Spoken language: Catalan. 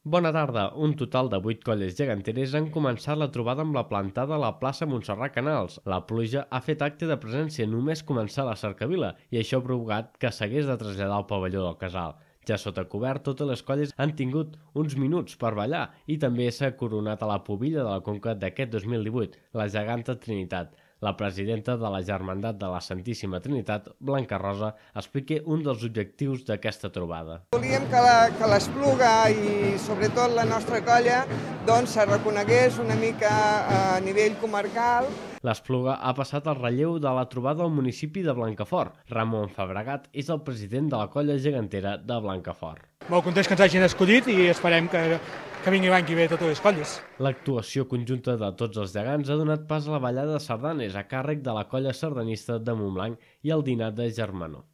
Bona tarda. Un total de 8 colles geganteres han començat la trobada amb la plantada a la plaça Montserrat Canals. La pluja ha fet acte de presència només començar la cercavila i això ha provocat que s'hagués de traslladar al pavelló del casal. Ja sota cobert, totes les colles han tingut uns minuts per ballar i també s'ha coronat a la pubilla de la Conca d'aquest 2018, la geganta Trinitat. La presidenta de la Germandat de la Santíssima Trinitat, Blanca Rosa, explica un dels objectius d'aquesta trobada. Volíem que l'Espluga i sobretot la nostra colla se reconegués una mica a nivell comarcal. L'Espluga ha passat el relleu de la trobada al municipi de Blancafort. Ramon Fabregat és el president de la colla gegantera de Blancafort. Molt contents que ens hagin escollit i esperem que vingui l'any que ve totes les colles. L'actuació conjunta de tots els gegants ha donat pas a la ballada de sardanes a càrrec de la colla sardanista de Montblanc i al dinar de Germanó.